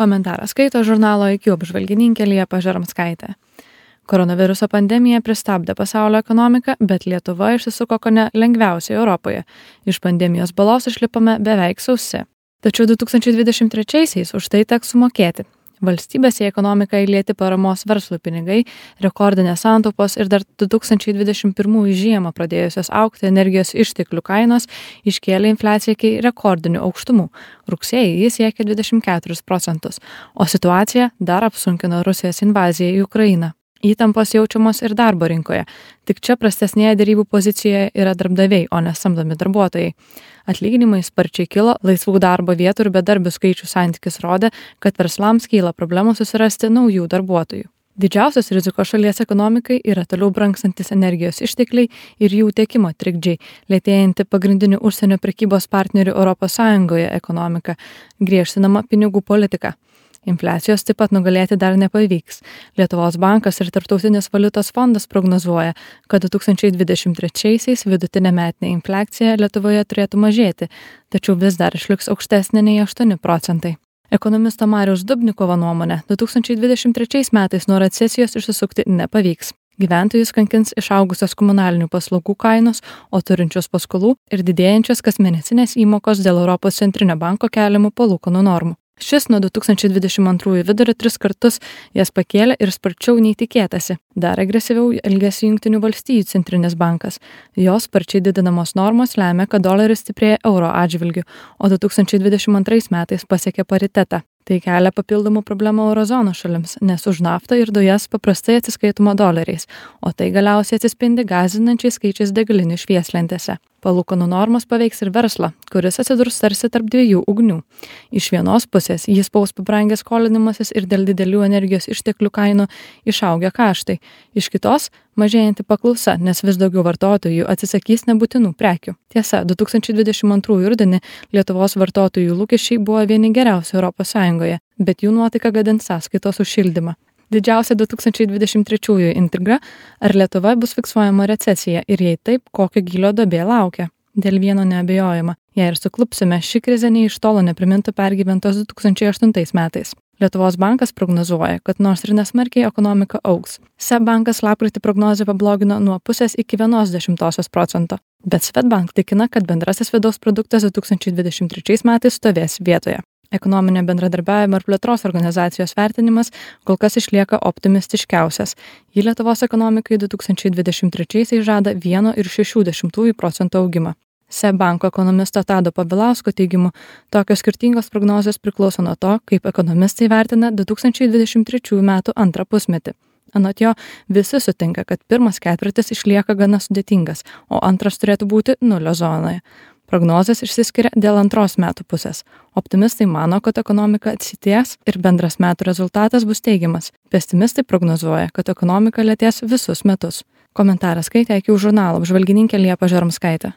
Komentarą skaito žurnalo IQ apžvalgininkė Liepa Žarmskaitė. Koronaviruso pandemija pristabdė pasaulio ekonomiką, bet Lietuva išsisuko kone lengviausiai Europoje. Iš pandemijos balos išlipome beveik sausi. Tačiau 2023-aisiais už tai teks sumokėti. Valstybės į ekonomiką įlieti paramos verslui pinigai, rekordinės santaupos ir dar 2021 žiemą pradėjusios augti energijos išteklių kainos iškėlė infliaciją iki rekordinių aukštumų. Rugsėjį jis siekė 24%, o situaciją dar apsunkino Rusijos invazija į Ukrainą. Įtampos jaučiamos ir darbo rinkoje, tik čia prastesnėje derybų pozicijoje yra darbdaviai, o ne samdomi darbuotojai. Atlyginimai sparčiai kilo, laisvų darbo vietų ir bedarbių skaičių santykis rodė, kad verslams kyla problemų susirasti naujų darbuotojų. Didžiausios rizikos šalies ekonomikai yra toliau brangstantis energijos ištekliai ir jų tiekimo trikdžiai, lėtėjanti pagrindinių užsienio prekybos partnerių ES ekonomika, griežtinama pinigų politika. Infliacijos taip pat nugalėti dar nepavyks. Lietuvos bankas ir Tarptautinis valiutos fondas prognozuoja, kad 2023-aisiais vidutinė metinė infliacija Lietuvoje turėtų mažėti, tačiau vis dar išliks aukštesnė nei 8%. Ekonomisto Mariaus Dubnikovo nuomonė, 2023 metais nuo recesijos išsisukti nepavyks. Gyventojus kankins išaugusios komunalinių paslaugų kainos, o turinčios paskolų ir didėjančios kasmėnesinės įmokos dėl Europos centrinio banko keliamų palūkanų normų. Šis nuo 2022 vidurio 3 kartus jas pakėlė ir sparčiau nei tikėtasi. Dar agresyviau elgėsi Jungtinių valstijų centrinis bankas. Jos sparčiai didinamos normos lemia, kad doleris stiprėja euro atžvilgiu, o 2022 metais pasiekė paritetą. Tai kelia papildomų problemų eurozonos šalims, nes už naftą ir dujas paprastai atsiskaitoma doleriais, o tai galiausiai atsispindi gąsdinančiais skaičiais degalinių švieslentėse. Palūkanų normos paveiks ir verslą, kuris atsidurs tarsi tarp dviejų ugnių. Iš vienos pusės jis spaus pabrangęs skolinimasis ir dėl didelių energijos išteklių kainų išaugę kaštai. Iš kitos mažėjanti paklausa, nes vis daugiau vartotojų atsisakys nebūtinų prekių. Tiesa, 2022 rudenį Lietuvos vartotojų lūkesčiai buvo vieni geriausių ES, bet jų nuotaika gadins sąskaitos už šildymą. Didžiausia 2023 intriga, ar Lietuva bus fiksuojama recesija ir jei taip, kokio gylio duobė laukia. Dėl vieno neabejojama, jei ir suklupsime, ši krizė nei iš tolo neprimintų pergyventos 2008 metais. Lietuvos bankas prognozuoja, kad nors ir nesmarkiai ekonomika augs. SEB bankas lapkritį prognozę pablogino nuo 0,5 iki 0,1%, bet Swedbank tikina, kad bendrasis vidaus produktas 2023 metais stovės vietoje. Ekonominio bendradarbiavimo ir plėtros organizacijos vertinimas kol kas išlieka optimistiškiausias. Ji Lietuvos ekonomikai 2023 žada 1,6% augimą. SEB banko ekonomisto Tado Povilausko teigimu, tokios skirtingos prognozijos priklauso nuo to, kaip ekonomistai vertina 2023 metų antrą pusmetį. Anot jo, visi sutinka, kad pirmas ketvirtis išlieka gana sudėtingas, o antras turėtų būti nulio zonoje. Prognozės išsiskiria dėl antros metų pusės. Optimistai mano, kad ekonomika atsities ir bendras metų rezultatas bus teigiamas. Pesimistai prognozuoja, kad ekonomika lėtės visus metus. Komentarą skaitė IQ žurnalo apžvalgininkė Liepa Žarmskaitė.